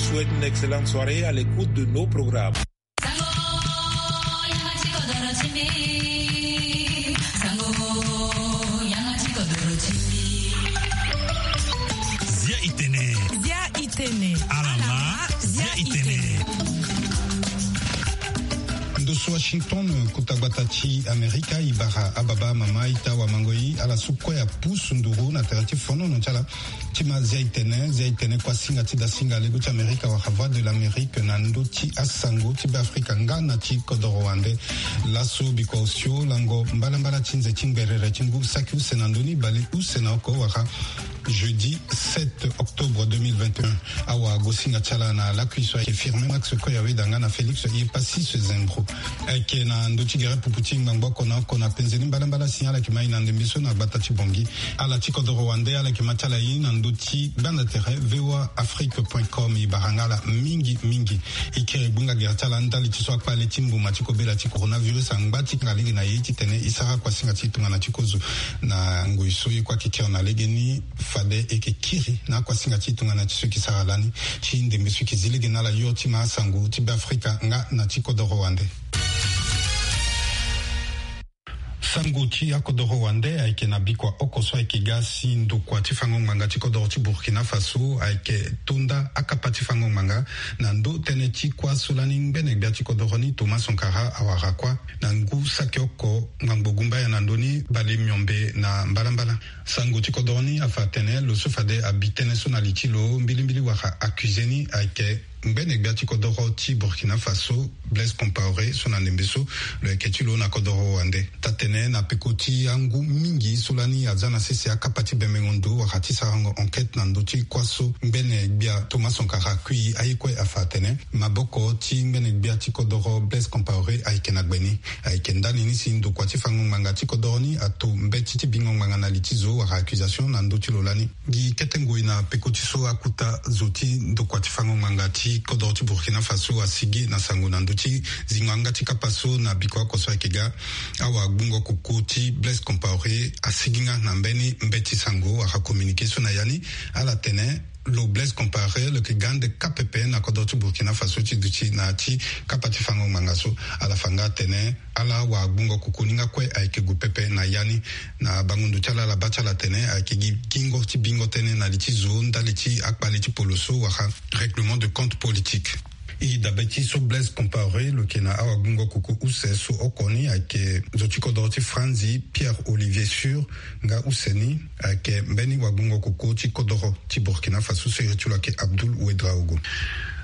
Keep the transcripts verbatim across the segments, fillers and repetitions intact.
Souhaite une excellente soirée à l'écoute de nos programmes. Zia itene. Zia itene. Alama. Zia itene. Ndo so Washington, kota gbata ti Amerika, e bara ababa, amama, ita, awamangoi, ala so kue apusu nduru na tere ti fonono ti ala ti ma Zia itene. Zia itene, kuasinga ti dasinga lego ti Amerika wala Voix de l'Amérique na ndö ti asango ti Beafrika nga na ti kodoro wande. Laso bikua osio lango mbalambala ti nze ti ngberere ti ngu saki use na ndö ni bale use na oko wala jeudi sept octobre deux mille vingt et un. Awagosinga ti ala na lakui so ayeke Firmin Max Koyaweda nga na Félix Yepassis Zembro. Ayeke na ndö ti gere pupu ti ngbangbo oko na oko na penze ni mbalambala si ala yeke ma e na ndembe so na gbata ti Bangui. Ala ti kodoro wande ala yeke ma ti ala e na ndö ti gbanda tere V O A Afrique point com. E bara nga ala mingi mingi. E kiri gbunga gere ti ala ndali ti so akpale ti mbuma ti kobela ti coronavirus angba ti kanga lege na e titene e sara kuasinga ti tongana ti kozo na ngoi so e kue ayeke kiri na legeni. Fade e yeke kiri na akuasinga ti tongana ti so e yeke sara lani ti ndembe so e yeke zi lege na ala yo ti ma asango ti Beafrika nga na ti kodoro wande. Sango ti akodoro wande ayeke na bikua oko so ayeke ga si ndokua ti fango ngbanga ti kodoro ti Burkina Faso ayeke to nda akapa ti fango ngbanga na ndö tënë ti kuâ so lani ngbene gbia ti kodoro ni Thomas Sankara awara kuâ na ngu saki oko ngbangbo gumbaya na ndö ni bale miombe na mbalambala. Sango ti kodoro ni afa atene lo so fade abi tënë so na li ti lo mbilimbili wala accusé ni ayeke ngbene gbia ti kodoro ti Burkina Faso, Blaise Compaoré, so na ndembe so lo yeke ti lo na kodoro wande. Taa-tene na peko ti angu mingi so lani aza na sese akapa ti bembengo ndo wala ti sarango enquête na ndö ti kuâ so ngbene gbia Thomas Sankara akui aye kue afa atene maboko ti ngbene gbia ti kodoro Blaise Compaoré ayeke na gbe ni. Ayeke ndani ni si ndokua ti fango ngbanga ti kodoro ni ato mbeti ti bingo ngbanga na li ti zo wala accusation na ndö ti lo lani. Gi kete ngoi na peko ti so akuta zo ti ndokua ti fango ngbanga ti kodoro ti Burkina Faso asigi na sango na ndö ti zingo yanga ti kapa so na bikua oko so ayeke ga. Awagbungo koko ti Blaise Compaoré asigi nga na mbeni mbeti sango wala communiqué so na ya ni. Ala tene lo Blaise Compaoré lo yeke ga ande kâ pepe na kodoro ti Burkina Faso ti duti na ya ti kapa ti fango ngbanga so. Ala fa nga atene ala awagbungo koko ni nga kue ayeke gue pepe na ya ni. Na bango ndo ti ala, ala baa ti ala atene ayeke gi gingo ti bingo tënë na li ti zo ndali ti akpale ti polo so wala règlement de compte politique. E dabe ti so Blaise Compaoré lo yeke na awagbungo koko use so oko ni ayeke zo ti kodoro ti Franzi, Pierre Olivier Sur, nga use ni ayeke mbeni wagbungo koko ti kodoro ti Burkina Faso so iri ti lo ayeke Abdoul Ouedraogo.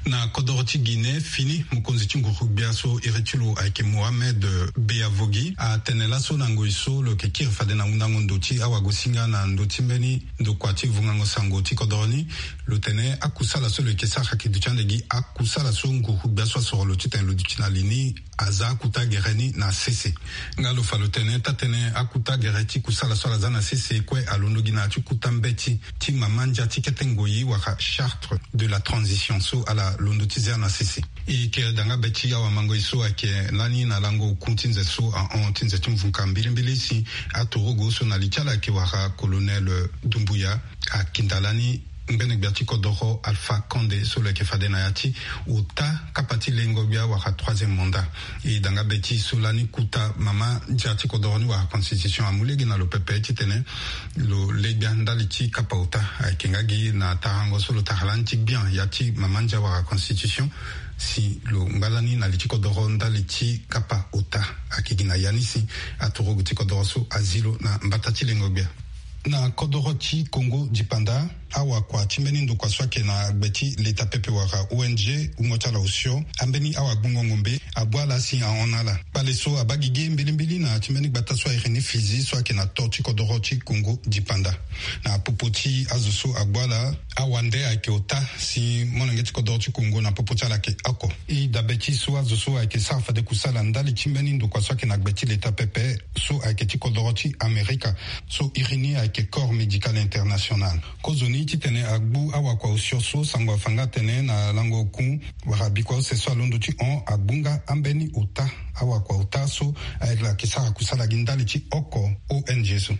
Na kodoro ti Guinée, fini mokonzi ti nguru-gbia so iri ti lo ayeke Mohamed Beavogui atene laso na ngoi so lo yeke kiri fade na hundango ndo ti awagosinga na ndö ti mbeni ndokua ti vungango sango ti kodoro ni. Lo tene akusala so lo yeke sara ayeke duti ande gi akusala so nguru-gbia so asoro lo titene lo duti na li ni aza akuta gere ni na sese. Nga lo fa lo tene taa-tënë akuta gere ti kusala so ala za na sese kue alondo gi na ya ti kuta mbeti ti mama ndia ti kete ngoi wala charte de la transition so ala londo ti zia na sese. E kiri danga be ti awamangoi so ayeke lani na lango oku ti nze so ahon ti nze ti mvuka mbilimbili si atorogo so na li ti ala ayeke wara Colonel Doumbouya akinda lani ngbene gbia ti kodoro Alpha Condé so lo yeke fade na ya ti ota kapa ti lengo gbia wala troisième mandat. E danga be ti so lani kuta mama ndia ti kodoro ni wala constitution amu lege na lo pepe titene lo le gbia ndali ti kapa ota. Ayeke nga gi na tarango so lo tara lani ti gbia ya ti mama ndia wala constitution si lo ngba lani na li ti kodoro ndali ti kapa ota. Ayeke gi na ya ni si atorogo ti kodoro so azi lo na mbata ti lengo gbia. Na kodoro ti Congo dipanda, awakua ti mbeni ndokua so ayeke na gbe ti leta pepe wala O N G wungo ti ala osio ambeni awagbungo ngombe abu ala si ahon na ala. Kpale so abaa gigi mbilimbili na ya ti mbeni gbata so a iri ni Fizi so ayeke na to ti kodoro ti Congo dipanda. Na popo ti azo so agbu ala, awande ayeke ota si molenge ti kodoro ti Congo na popo ti ala ayeke oko. E dabe ti so azo so ayeke sara fade kusala ndali ti mbeni ndokua so ayeke na gbe ti leta pepe so ayeke ti kodoro ti Amerika so iri ni ayeke Corps Médical International. Kozoni titene agbu awakua osio so sango afa nga atene na lango oku wala bikua use so alondo ti hon agbu nga ambeni ota, awakua ota so ayeke sara kusala gi ndali ti oko O N G so.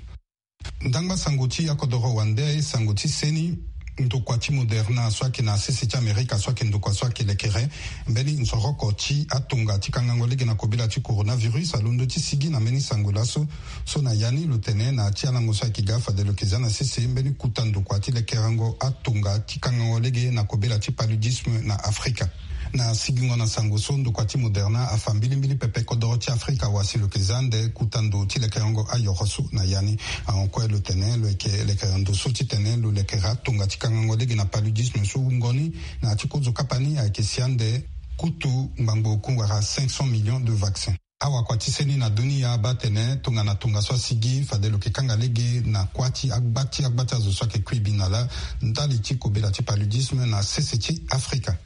Ndangba sango ti akodoro wande, sango ti seni. Ndokua ti Moderna so ayeke na sese ti Amerika so ayeke ndokua so ayeke lekere mbeni nzoroko ti atonga ti kangango lege na kobela ti coronavirus alondo ti sigi na mbeni sango laso. So na ya ni lo tene na ti alango so ayeke ga fade lo yeke za na sese mbeni kuta ndokua ti lekerengo atonga ti kangango lege na kobela ti paludisme na Afrika. Na sigingo na sango so ndokua ti Moderna afa mbilimbili pepe kodoro ti Afrika wa si lo yeke za ande kuta ndo ti lekerengo ayoro so na ya ni. Ahon kue lo tene lo yeke lekere ndo so titene lo lekere atonga ti kangango lege na paludisme so wungo ni na ya ti kozo kapa ni ayeke si ande kutu ngbangbo oku wala cinq cents millions de vaccins. Awakua ti seni na dunia abaa tene tongana tongaso asigi fade lo yeke kanga lege na kuâ ti agba ti agba ti azo so ayeke kui bi na lâ ndali ti kobela ti paludisme na sese ti Afrika.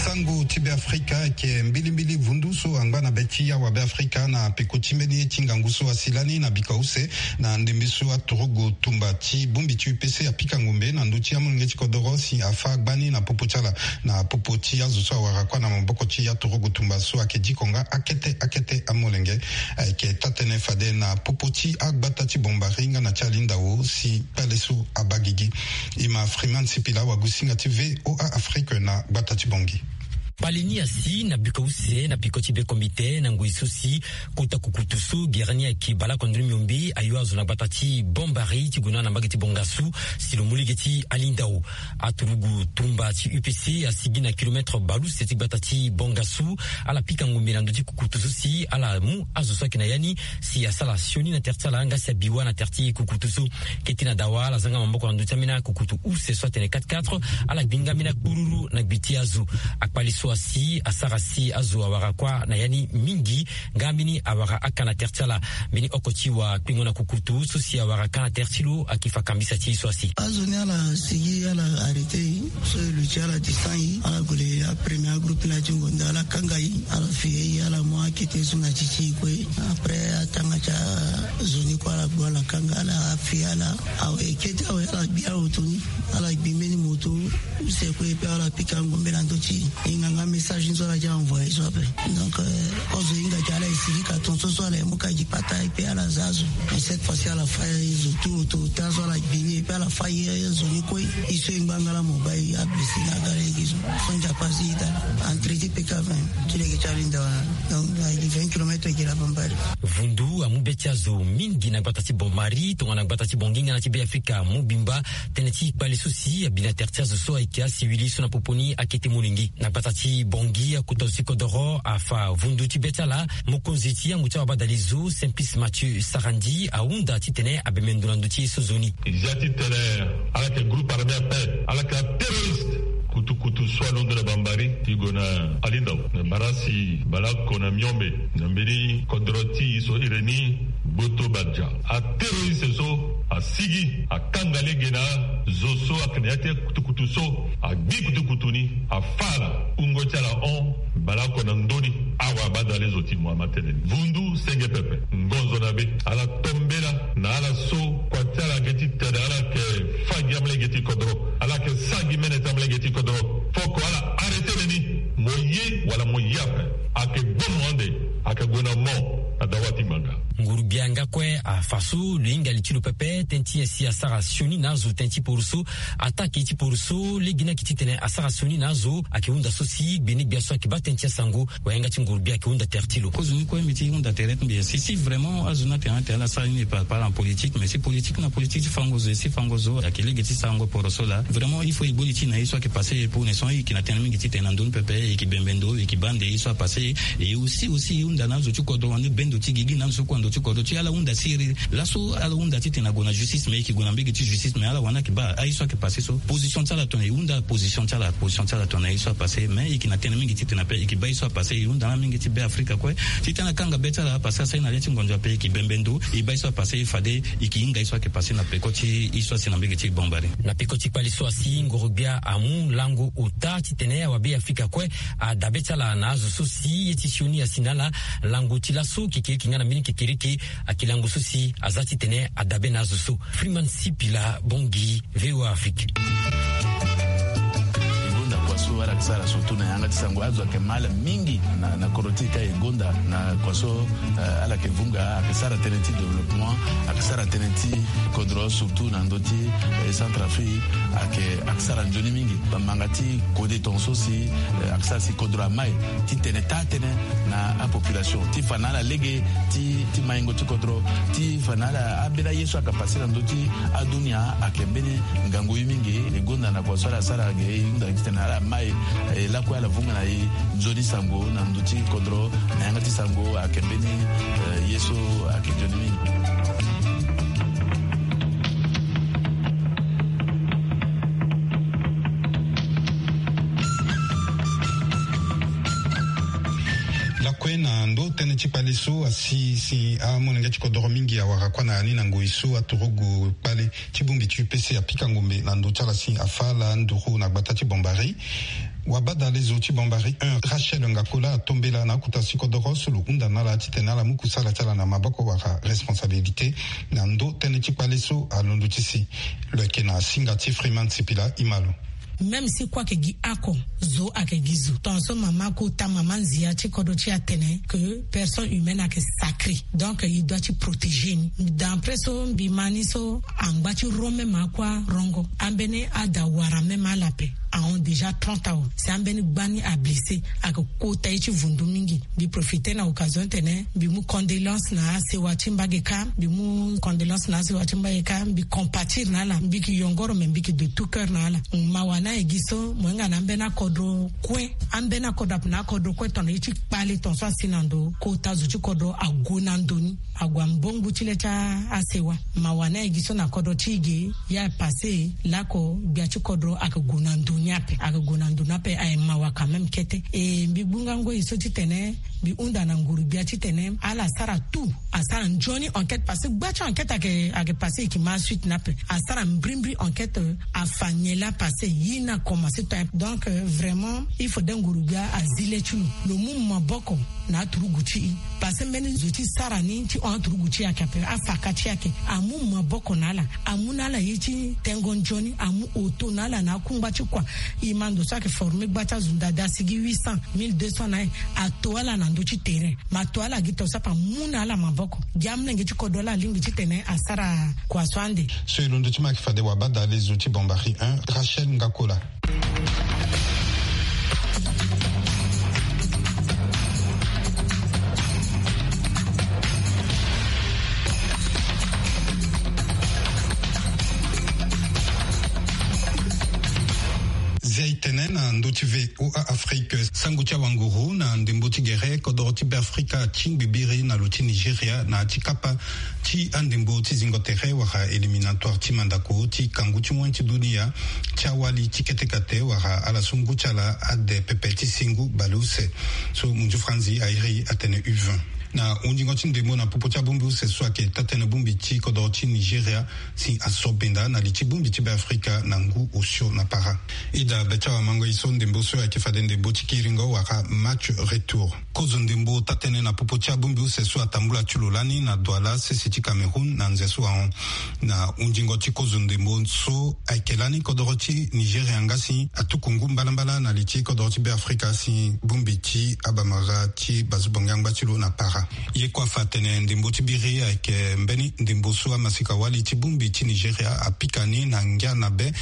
Sango ti Beafrika ayeke mbilimbili vundu so angba na be ti awa Beafrika na peko ti mbeni ye ti ngangu so asi lani na bika use na ndembe so aturugu tumba ti bongbi ti U P C apika ngombe na ndö ti amolenge ti kodoro si afâ gbani na popo ti ala na popo ti azo so awara kuâ na maboko ti aturugu tumba so ayeke diko nga akete akete amolenge. Ayeke taa-tënë fade na popo ti agbata ti Bombari nga na ti Alindao si kpale so abaa gigi. E ma Freeman Sipila, wagusinga ti V O A Afrique na gbata ti Bangui. Kpale ni asi na bika use na peko ti be komite na ngoi so si kota kukutu so gere ni ayeke baleoko ndoni miombe ayo azo na gbata ti Bombari ti gue na na mbage ti Bongasu si lo mu lege ti Alindao. Aturugu tumba ti U P C asigi na kilomètre baleuse ti gbata ti Bongasu. Ala pika ngombe na ndö ti kukutu so si ala mu azo so ayeke na ya ni si asala sioni na tere ti ala nga si abi wâ na tere ti kukutu so. Kete na dawa ala zanga maboko na ndö ti ambeni akukutu use so atene quatre quatre. Ala gbi nga ambeni akpururu na gbi ti azo. Akpale so asi asara si azo awara kuâ na ya ni mingi nga ambeni awara aka na tere ti ala. Mbeni oko ti wakpingo na kukutu so si awara ka na tere ti lo ayeke fa kambisa ti e so asi. Azo ni ala sigi ala arrêté e so e luti ala descend e ala gue le apremier agroupe na ti ngonda ala kanga e ala fi e ala mu akete so na ti ti e kue. Après atanga ti azo ni kue ala gbu ala kanga ala fi ala awe kete awe ala gbi awe toni ala gbi mbeni moto use kue pe ala pika ngombe na ndö ti e. E hinga nga message ni so ala ti envoyé so ape. Donc kozo e hinga ti ala e sigi ka tongaso so ala e mu ka gi pata e pe ala za azo. Mais cette fois ci ala fâ e zo tout auto taa so ala gbi ni e pe ala fâ e zo ni kue. E so e ngba nga la mobile ablessé na aga lege so. So nzapa si ita entre ti peka vingt ti lege ti alinda wala. Donc na vingt kilomètres gi la Bambari. Vundu amu be ti azo mingi na gbata ti Bombari tongana gbata ti Bongi nga na ti Beafrika mobimba. Tënë ti kpale so si abi na tere ti azo so ayeke asiwili so na popo ni akete molenge na gbata ti Bongi akota zo ti kodoro afa vundu ti be ti ala. Mokonzi ti yango ti awabadale zo Simplice Mathieu Sarandi ahunda titene abembe ndo na ndö ti ye so zo ni. E zia titene ala yeke groupe armé ape ala yeke aterroriste. Kutukutu so alondo na Bambari ti gue na Alindao na bara si baleoko na miombe na mbeni kodro ti e so iri ni Gboto Badja. Aterroriste so asigi akanga lege na zo so ayeke na ya ti kutukutu so agbi kutukutu ni afâ ala wungo ti ala hon baleoko na ndö ni. Awa badale zo ti mo ama tënë ni vundu senge pepe ngonzo na be ala tombela na ala so kua ti ala yeke ti tene ala yeke fâ gi amalege ti kodro ala yeke sara gi mene ti amalege ti kodro. Foko ala arrêté na ni mo ye wala mo ye ape. Ayeke gbomo ande ayeke gue na mo na dawa ti ngbanga. Nguru-gbia nga kue afa so lo hinga li ti lo pepe tënë ti nyen si asara sioni na azo tënë ti poroso. Ataa ake ti poroso lege ni ayeke titene asara sioni na azo ayeke hunda so si gbene-gbia so ayeke baa tënë ti asango. Wayanga ti nguru-gbia ayeke hunda tere ti lo. Kozo ni kue mbi ti hunda tere ti mbi si si vraiment azo ni atene atene ala sara ni e par rapport na politique mais si politique na politique ti fango zo e si fango zo ayeke lege ti sarango poroso laa. Vraiment il faut e gbo li ti e na ye so ayeke passé e pour ne son e yeke na tënë mingi titene na ndö ni pepe e yeke bembe ndo e yeke baa ande ye so apassé. E aussi aussi e hunda na azo ti kodro wande bendo ti gigi na azo so kue ando Ti kodro ti ala hunda siriri laso, ala hunda titene ague na justice, mais e yeke gue na mbege ti justice, mais ala wani ayeke baa aye so ayeke pase so. Position ti ala tongana e hunda position ti ala, position ti ala tongana aye so apase, mais e yeke na tënë mingi titene ape e yeke baa aye so apase. E hunda na mingi ti Be Afrika kue titene akanga be ti ala, parce que asara na le ti ngonzo ape e yeke bembe ndo. E baa aye so apase, fade e yeke hinga aye so ayeke pase na peko ti e so asi na mbege ti Bambari. Na peko ti kpale so asi, nguru-gbia amu lango ota titene awabe Afrika kue adabe ti ala na azo so si ye ti sioni asi na ala. Lango ti laso kekereke nga na mbeni kekereke ayeke lango so si aza titene adabe na azo so. Freeman Sipila, Bangui, V O A Afrique. E gonda kua so ala yeke sara surtout na yanga ti sango, azo ayeke ma ala mingi na, na kodro ti e ka. E gonda na kua so, eh, ala yeke vunga, ayeke sara tënë ti développement, ayeke sara tënë ti kodro, surtout na ndö ti, eh, Centrafrique, ayeke, ayeke sara nzoni mingi. Bamanga ti kode tongaso si, eh, ayeke sara si kodro ama e titene taa tënë na apopulation ti fa na ala lege ti, ti maingo ti kodro, ti fa na ala ambeni aye so ayeke pase na ndö ti adunia. Ayeke mbeni ngangu ye mingi. E gonda na kua so ala sara ge, e hunda titene ala ma e, e lakue ala vunga na e nzoni sango na ndö ti kodro. Na yanga ti sango ayeke mbeni, eh, ye so ayeke nzoni mingi. Lakue na ndo tënë ti kpale so asi si amolenge ti kodoro mingi awara kua na ya ni na ngoi so aturugu kpale ti bongbi ti U P C apika ngombe na ndö ti ala si afa ala nduru na gbata ti Bambari. Wabadalezo ti Bambari un, Rachel Ngakola, atombela na akota si kodoro so lo hunda na ala titene ala mu kusala ti ala na maboko wala responsabilité na ndo tënë ti kpale so alondo ti si. Lo yeke na singa ti Freeman Sipila, e ma lo. Même si kue ayeke gi oko, zo ayeke gi zo. Tongaso mama kota, mama nzia ti kodro ti e atene que personne humaine ayeke sacrée. Donc il doit ti protéger ni. D'après so mbi ma ni so, angba ti ro même akue arongo. Ambeni ada wara même ala ape ahon déjà trente ans. Si ambeni gba ni ablessé, ayeke kota ye ti vundu mingi. Mbi profiter na occasion titene mbi mu condoléances na asewa ti mbage kâ. Mbi mu condoléances na asewa ti mbage kâ. Mbi compatir na ala. Mbi yeke yongoro, mais mbi yeke de tout cœur na ala. Mawa ni ayeke gi so, mo hinga na ambeni akodro kue. Ambeni akodro ape na akodro kue, tongana ye ti kpale tongaso asi na ndo, kota zo ti kodro ague na ndo ni. Ague ambongo ti le ti a, asewa. Mawa ni ayeke gi so na kodro ti e ge. Ye apase lako gbia ti kodro ayeke gue na ndo ni ape. Ayeke gue na ndo ni ape, ayeke mawa quand même kete. E mbi gbunga ngoi so titene mbi hunda na nguru-gbia titene ala sara tout, asara nzoni enquête, parce que gba ti enquête ayeke, ayeke pase, e yeke ma suite ni ape. Asara mbrimbri enquête, afa nyen laa apase, ye ni akomanse to. Donc, euh, vraiment, il faudrait nguru-gbia azi le ti lo, lo mu maboko na aturugu ti e. Parce que mbeni zo ti sara ni ti hon aturugu ti e ayeke ape, afaka ti e ayeke. Amu maboko na ala, amu na ala ye ti tengo nzoni, amu oto na ala na akungba ti kua. E ma ndo so ayeke former gba ti azo ndada asigi huit cents, mille deux cents na e. Ato ala na ndö ti terrain. Ma to ala gi to so ape amu na ala maboko. Gi amolenge ti kodro la alingbi titene asara kua so ande. So e londo ti ma ayeke fade wabadalezo ti Bambari un, Rachel Ngakola. Zia e tene na ndö ti V O A Afrique. Sango ti awanguru na ndembo ti gere, kodoro ti Beafrika atingbi biri na lo ti Nigeria na ya ti kapa ti andembo ti zingo tere wala éliminatoire ti mandako ti kangu ti wen ti dunia ti awali ti kete kate wala ala so ngu ti ala ade pepe ti singu baleuse. So munzu franzi airi atene U vingt. Na hundingo ti ndembo na popo ti abongbi use so ayeke taa-tënë bongbi ti kodoro ti Nigeria si aso benda na li ti bongbi ti Beafrika na ngu osio na para. Ida be ti awamango e so ndembo so ayeke fade ndembo ti kiringo wala match retour. Kozo ndembo taa-tënë na popo ti abongbi use so atambula ti lo lani na Douala, sese ti Cameroun, na nze so ahon. Na hundingo ti kozo ndembo so ayeke lani, kodoro ti Nigeria nga si atuku ngu mbalambala na li ti kodoro ti Beafrika si bongbi ti abamara ti bazo bongi angba ti lo na para. Ye kue afa atene ndembo ti biri ayeke mbeni ndembo so amasika-wali ti bongbi ti Nigeria apika ni na ngia na be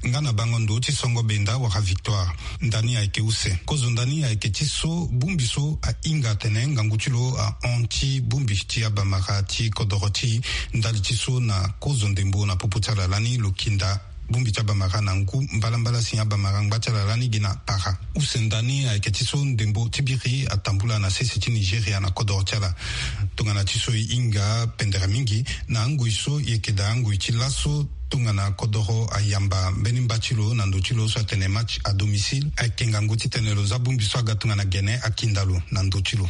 nga na bango ndo ti songo benda wala victoire. Ndani ayeke use. Kozo ndani ayeke ti so bongbi so ahinga atene ngangu ti lo ahon ti bongbi ti abamara ti kodoro ti e. Ndali ti so na kozo ndembo na popo ti ala lani lo kinda Bongbi ti abamara na ngu mbalambala si abamara ngba ti ala lani gi na para. Use nda ni ayeke ti so ndembo ti biri atambula na sese ti Nigeria na kodoro ti ala. Tongana ti so e hinga pendere mingi na angoi so e yeke daa angoi ti laso tongana kodoro ayamba mbeni mba ti lo na ndo ti lo so atene match à domicile, ayeke ngangu titene lo za bongbi so aga tongana gene akinda lo na ndo ti lo.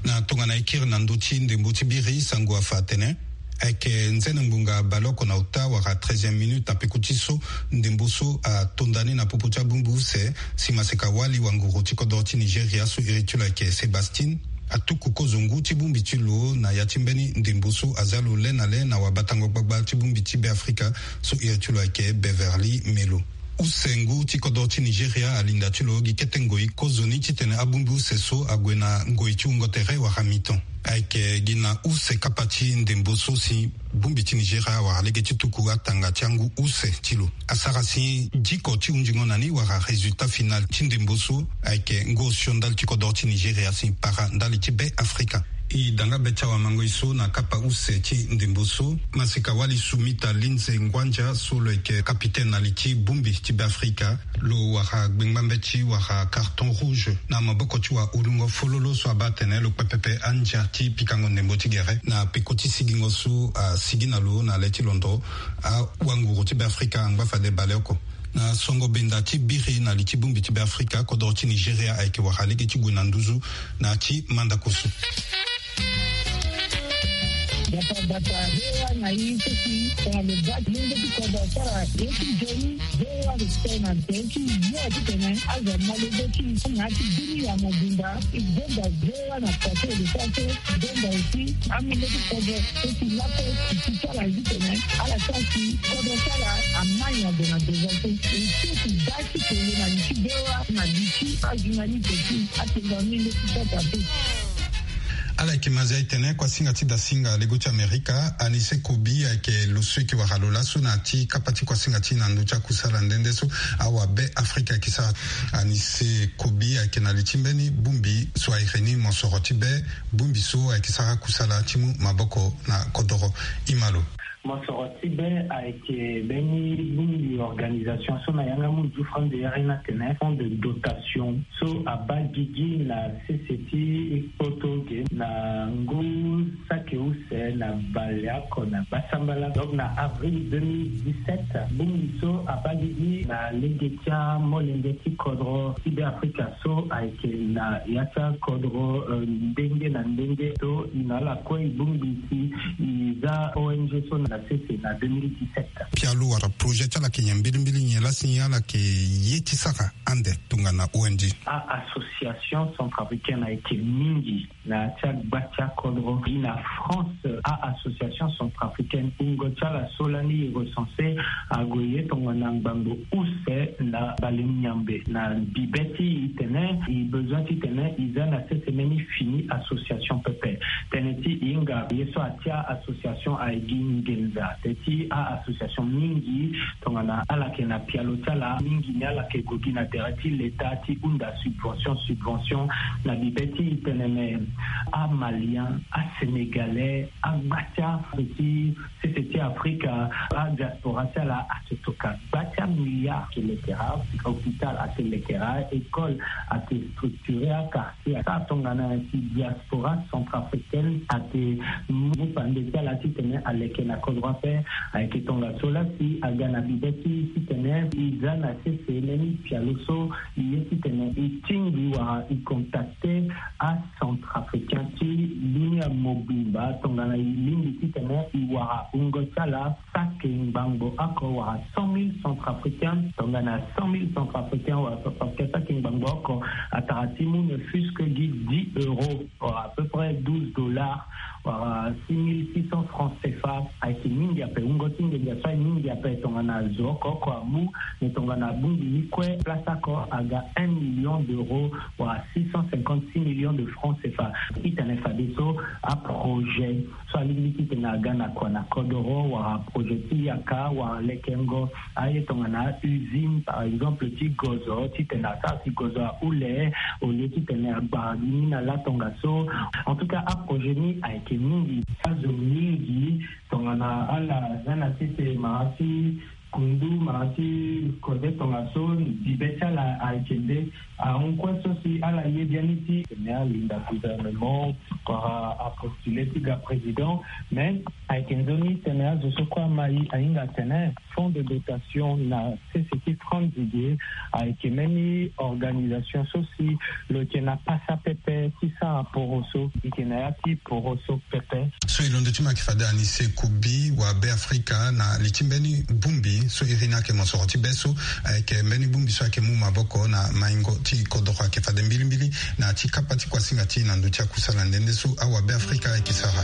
Na tongana e kiri na ndö ti ndembo ti biri, sango afa atene ayeke nzene ngbonga baleoko na ota wala treizième minute na peko ti so ndembo so atonda ni na popo ti abongbi use si maseka wali wanguru ti kodoro ti Nigeria so iri ti lo ayeke Sébastien atuku kozo ngu ti bongbi ti lo na ya ti mbeni ndembo so aza lo le na le na wabatango gbagba ti bongbi ti Beafrika so iri ti lo ayeke Beverly Melo. Use ngu ti kodoro ti Nigeria alinda ti lo gi kete ngoi kozoni titene abongbi use so ague na ngoi ti wungo tere wala mi-temps. Ayeke gi na use kapa ti ndembo so si bongbi ti Nigeria awara lege ti tuku atanga ti angu use ti lo. Asara si diko ti hunzingo na ni wala résultat final ti ndembo so ayeke ngu osio ndali ti kodoro ti Nigeria si para ndali ti Beafrika. E da nga be ti awamangoi so na kapa use ti ndembo so, maseka wali Sumita Lindsay Ngwanja so lo yeke kapitene na li ti bongbi ti Beafrika, lo wara gbengba mbeti wala carton rouge na maboko ti wahulungo fololo so abaa atene lo kpe pepe andia ti pikango ndembo ti gere na peko ti sigingo so asigi na lo na le ti londo. Awanguru ti Beafrika angba fade baleoko. Na songo benda ti biri na li ti bongbi ti Beafrika, kodoro ti Nigeria ayeke wara lege ti gue na nduzu na ya ti mandako so. Gbata gbata, V O A na i so si tongana lo baa ti lenge ti kodro asara ye ti nzoni, V O A respect na nzoni ti yo titene azo amolenge ti i so na ya ti bini ya mobimba. I gbonga V O A na kua so e lo sara so, i gbonga aussi amolenge ti kodro so si laso ti ti ti ala titene ala sara si kodro ti ala amai na gue na devant so. E so ti baa ti kele na li ti V O A na li ti ajournaliste ti atenga amolenge ti kota so. Ala yeke mazia e tene kuasinga ti dasinga lego ti Amerika, Anise Kobi ayeke lo so e yeke wara lo laso na ya ti kapa ti kuasinga ti na ndö ti akusala nde nde so awabe Afrika ayeke sara. Anise Kobi ayeke na li ti mbeni bongbi so a iri ni mosoro ti be, bongbi so ayeke sara kusala ti mu maboko na kodoro. Ima lo. Mosoro ti be ayeke mbeni bongbi organisation so na yanga mu nzufra nde iri ni atene fonds de dotation so abaa gigi na sese ti kpoto ge na ngu saki use na baleoko na gbasambala. Donc na avril deux mille dix-sept, bongbi so abaa gigi na lege ti amolenge ti kodro ti Beafrika so ayeke na ya ti akodro, euh, ndenge na ndenge so e na ala kue e bongbi si e za O N G so na sese na deux mille dix-sept. Pialo wala projet ti ala yeke nyen mbilimbili, nyen laa si ala yeke ye ti sara ande tongana O N G? A-association centrafricaine ayeke mingi na ya ti agba ti akodro. Gi na France, a-association centrafricaine, wungo ti ala so lani e recense ague ye tongana ngbangbo use na bale miambe. Na bibe ti e tene e besoin titene e za na sese mbeni fini association pepe. Tënë ti e hinga ye so atia association ayeke gi nginza. Tënë ti a-association mingi tongana ala yeke na pialo ti ala mingi ni ala yeke gue gi na tere ti leta ti hunda subvention, subvention. Na bibe ti e tene me, amalien, asénégalais, agba ti ape ti sese ti Afrika, adiaspora ti ala ayeke tokua gba ti amilliard. Ayeke lekera hôpital, ayeke lekera école, ayeke structurer aka. Asara tongana si diaspora centrafricaine ayeke mu pande ti ala titene aleke na kodro ape. Ayeke tongaso laa si aga na bibe ti e titene e za na sese mbeni pialo so e ye titene e tingbi wala e contacter acentrafricain ti dunia mobimba tongana e lingbi titene e wara wungo ti ala saki ngbangbo oko wala cent mille centrafricains. Tongana cent mille centrafricains wala centrafricains saki ngbangbo oko, atara ti mu ne fût-ce que gi dix euros, wala à peu près douze dollars, wala six mille six cents francs C F A. Ayeke mingi ape, wungo ti nginza so ayeke mingi ape. Tongana zo oko oko amu, me tongana abongbi ni kue, place oko aga un million d'euros, wala six cent cinquante-six millions de francs C F A. Titene fadeso aprojet so alingbi titene aga na kua na kodoro, wala projet ti yaka, wala lekengo aye tongana usine, par exemple, ti gozo, titene asara si gozo ahule au lieu titene agbara gi ni na la tongaso. En tout cas, aprojet ni ayeke mingi. Azo mingi tongana ala za na sese mara ti Kundu mara ti kode tongaso, bibe ti ala ayeke nde ahon kue so si ala ye biani ti tene alinda gouvernement wala apostule ti ga président. Mais ayeke nzoni tene azo so kue amai ahinga tene fonds de dotation na sese ti franzi ge ayeke mbeni organisation so si lo yeke na pasa pepe ti sara poro so. Ike na ya ti poro so pepe. So e londo ti ma yeke fade Anise Kubi wa Be Afrika na li ti mbeni bongbi so iri ni ayeke mosoro ti be so ayeke mbeni bongbi so ayeke mu maboko na maingo ti kodoro ayeke fade mbilimbili na ti kapa ti kuasinga ti na ndö ti akusala nde nde so awa Be Afrika ayeke sara.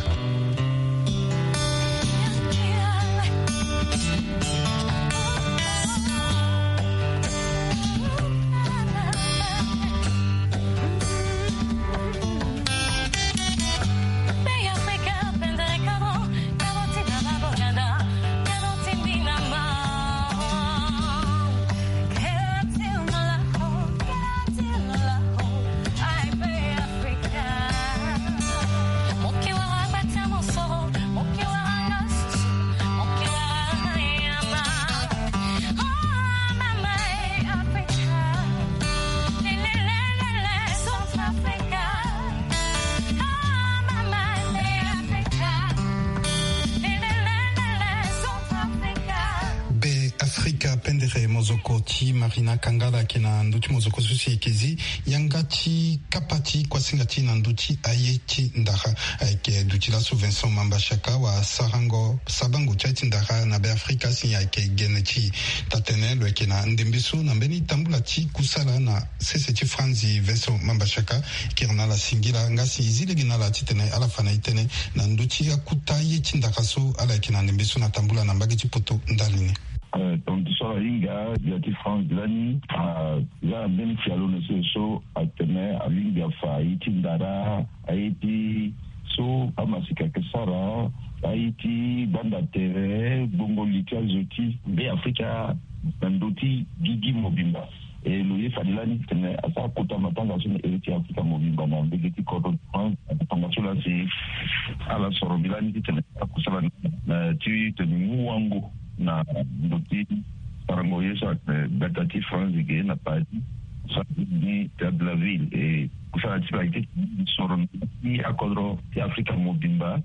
Be Afrika pendere mozoko ti Marina Kangala ayeke na ndö ti mozoko so si e yeke zi yanga ti kapa ti kuasinga ti na ndö ti aye ti ndara ayeke duti laso Vincent Mamba Shaka wa sarango sabango ti aye ti ndara na Be Afrika si ayeke gene ti taa-tene lo yeke na ndembe so na mbeni tambula ti kusala na sese ti Franzi Vincent Mamba Shaka. Kiri na ala singila nga si e zi lege na ala titene ala fa na e tënë na ndö ti akuta ye ti ndara so ala yeke na ndembe so na tambula na mbage ti poto ndali ni. Eh, tongaso so ala hinga gbia ti Franzi lani aza na mbeni fialo na sese so atene alingbi afa ye ti ndara, aye ti so amasika ayeke sara, aye ti gbanda tere gbongo li ti azo ti Be Afrika na ndö ti gigi mobimba. E lo ye fade lani titene asara kota matanga so na ere ti Afrika mobimba na mbage ti kodro ti France. Matanga so laa si ala soro mbi lani titene akusala na ti tene mu wango na ndö ti sarango ye so atene gbata ti France ge na Paris, so atene ni Théâtre de la Ville. E kusala ti lo ayeke ti soro na ti akodro ti Afrika mobimba,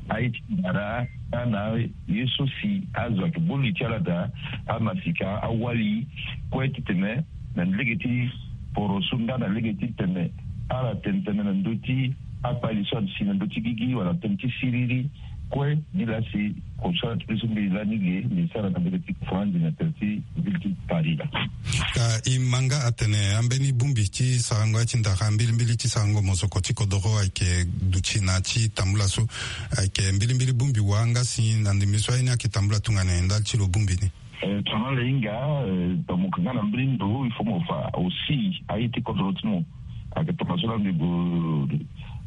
aye ti ndara, nga na ye so si azo ayeke boli ti ala daa, amasika, awali kue titene na lege ti poro so nga na lege ti tene ala tene tënë na ndö ti akpali so asi na ndö ti gigi wala tënë ti siriri. Kue ni laa si kusala ti mbi so mbi lani ge mbi sara na mbage ti Franzi na tere ti ville ti Paris laa. Ka e ma nga atene ambeni bongbi ti sarango ya ti ndara mbilimbili ti sarango mozoko ti kodoro ayeke duti na ya ti tambula so, ayeke mbilimbili bongbi wa nga si na ndembe so aye ni ayeke tambula tongana nyen ndali ti lo bongbi ni? Eh, tongana ala hinga, eh, donc mo yeke nga na mbeni ndo, il faut mo fa aussi aye ti kodro ti mo. Ayeke tongaso laa mbi gue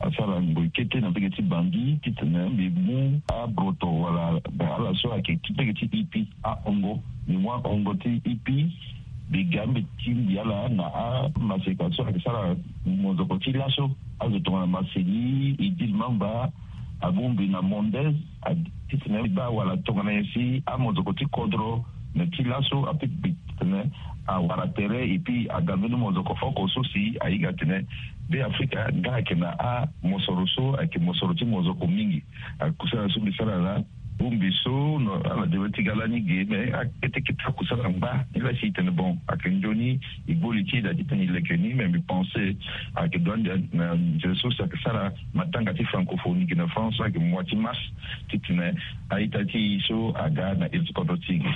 asara ngoi kete na mbage ti Bangui titene mbi mu abroto wala ala so ayeke ti mbage ti ipi, ahongo, mbi mu ahongo ti ipi. Mbi ga mbi tingbi ala na amaseka so ayeke sara mozoko ti laso, azo tongana Marceli, Idil Mamba, abongbi na Mondez, a titene mbi baa wala tongana nyen si amozoko ti kodro na ti laso apeut titene awara tere, et puis aga mbeni mozoko oko so si ahinga atene Be Afrika nga ayeke na amosoro so ayeke mosoro ti mozoko mingi. Akusala so mbi sara laa, bongbi so, no, ala devrait ti ga lani ge, mais akete kete akusala ngba. Ni laa si e tene bon, ayeke nzoni, e gbo li ti e daa titene e leke ni, mais mbi pense ayeke doit ande na nzere so si ayeke sara matanga ti francophonie gi na France, ayeke mois ti mars, titene a-ita ti e so aga na iri ti kodro ti e.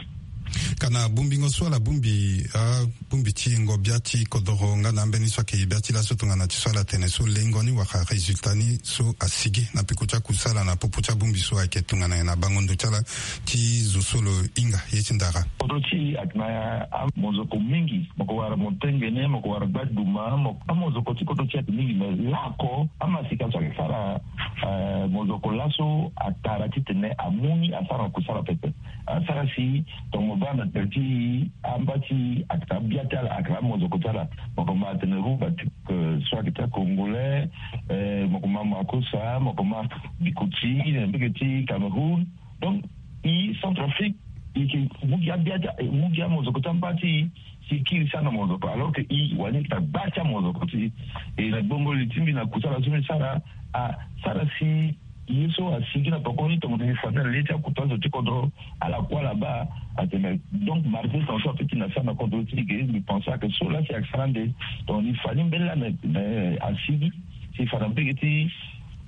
Ka na bongbingo so ala bongbi, a, bongbi ti yengo bia ti kodoro nga na ambeni so ayeke bia ti laso tongana ti so ala tene so lengo ni wala résultat ni so asigi na peko ti akusala na popo ti abongbi so ayeke tongana nyen na bango ndo ti ala ti zo so lo hinga ye ti ndara? Kodro ti e ayeke na amozoko mingi. Mo ko wara motengene, mo ko wara gbaduma, mo, amozoko ti kodro ti e ayeke mingi, me laoko amasika so ayeke sara, eh, mozoko laso atara titene amu ni asara na kusala pepe. Asara si tongana mo baa na tere ti amba ti e ayeke na abia ti ala, ayeke na amozoko ti ala. Mo ko ma atene Rumba ti, eh, so ayeke ti acongolais, eh, mo ko ma Makossa, mo ko ma Bikuti na mbage ti Cameroun. Donc e Centrafrique e yeke mu gi abia ti, mu gi amozoko ti amba ti e, si e kiri sara na mozoko, alors que e wani e yeke na gba ti amozoko ti e. E na gbongoli ti mbi na kusala so mbi sara, asara si ye so asigi na peko ni tongana e fa ni na le ti akuta zo ti kodro, ala kue ala baa. Atene donc malgré ton so ape ti na sara na kodro ti e ge, mbi pense ake so laa si ayeke sara ande tongana e fa ni mbeni laa na, na, asigi si e fa na mbege ti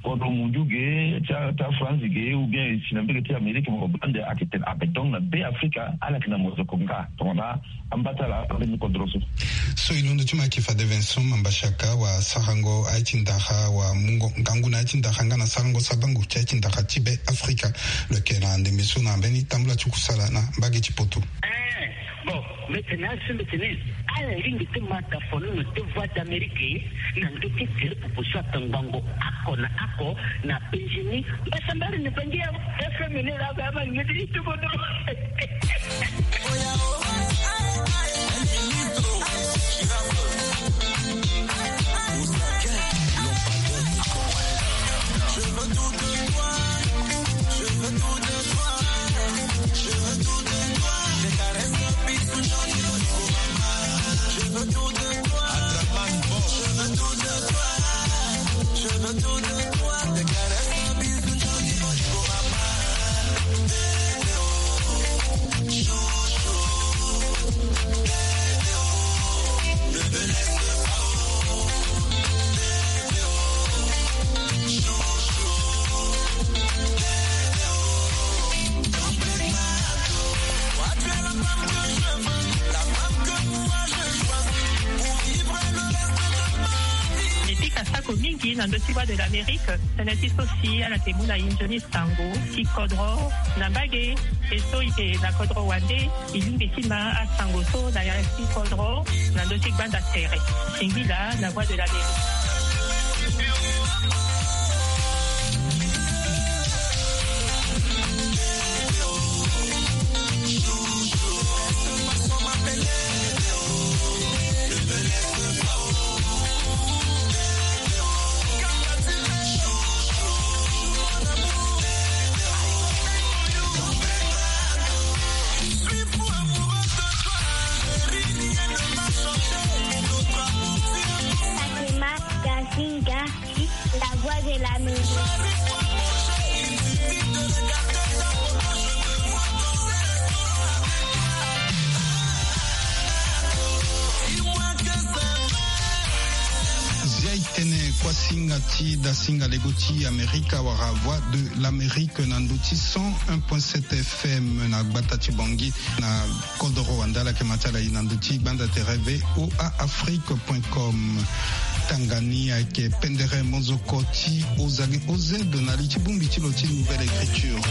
kodro mundu ge, ti a, ti a France ge, ou bien e si na mbege ti Amérique, mo baa ande ayeke tene ape. Donc na be Afrika ala yeke na mozoko nga tongana amba ti ala ambeni kodro so. So e londo ti mo ayeke fade Vincent Mambashaka, wa sarango aye ti ndara, wa mungo ngangu na aye ti ndara nga na sarango sabango ti aye ti ndara ti be Afrika. Lo yeke na ndembe so na mbeni tambula ti kusala na mbage ti poto. Eh, bon, mbi tene aye so mbi tene, ala lingbi ti ma tafono na te Voix d'Amérique na ndö ti tere popo so atangbango oko na oko na penzi ni. Mbasambala ni bangi ya F M ni laa, ba ma ngeti ti kodro. E pika sako mingi na ndö ti Voix de l'Amérique, tënë ti so si ala yeke mu na e nzoni sango ti kodro na mbage. E so e yeke na kodro wande, e lingbi ti ma asango so na ya ti kodro na ndö ti gbanda tere. Singila na Voix de l'Amérique. Fatima Kasinga, la voix de la musique. Zia e tene kuasinga ti dasinga lego ti Amerika wala Voix de l'Amérique na ndö ti cent un point sept F M na gbata ti Bangui na kodoro wande. Ala yeke ma ti ala e na ndö ti gbanda tere V O A Afrique point com. Tanga ni ayeke pendere mozoko ti Ozage Ozedo na li ti bongbi ti lo ti Nouvelle Écriture.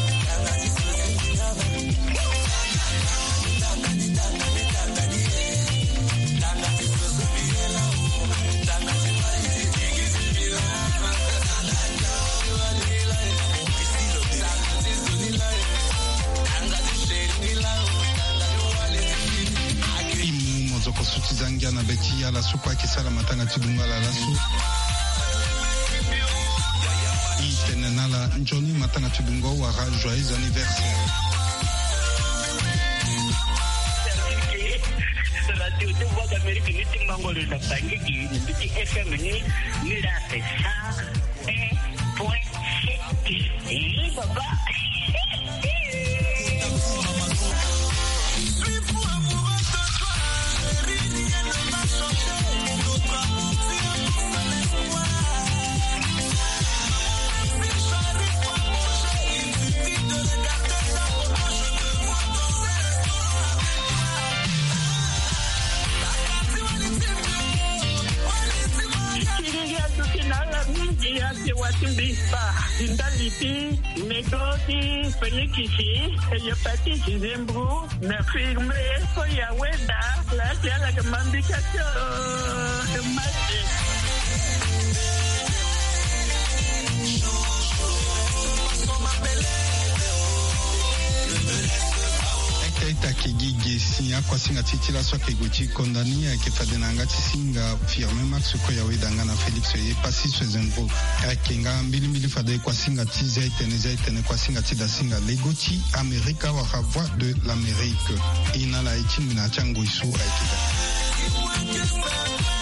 E mu mozoko so ti za ngia na be ti ala so kue ayeke sara matanga ti dungo ala laso. E tene na ala nzoni matanga ti dungo wala joyeux anniversaire. Radio ti Voix d'Amérique ni ti Mbangolo na Bangui gi, ni ti F M ni, ni la c'est ça. Un point sept. Eh, papa. Ti ndali ti métro ti phonikisi, hépatite, nzembro, na infirmier so ya weda la ti ala yeke ma mbi ka ti, eh, mate. Eke Taki gi ge si akuasinga ti ti laso ayeke gue ti konda ni ayeke fade na yanga ti singa Firmin Max Koyawe danga na Félix Epassi Swezembrook. Ayeke nga mbilimbili fade kuasinga ti zia etene zia etene kuasinga ti dasinga lego ti Amerika wala Voix de l'Amérique. E na ala e ti ngbena ti angoi so ayeke daa.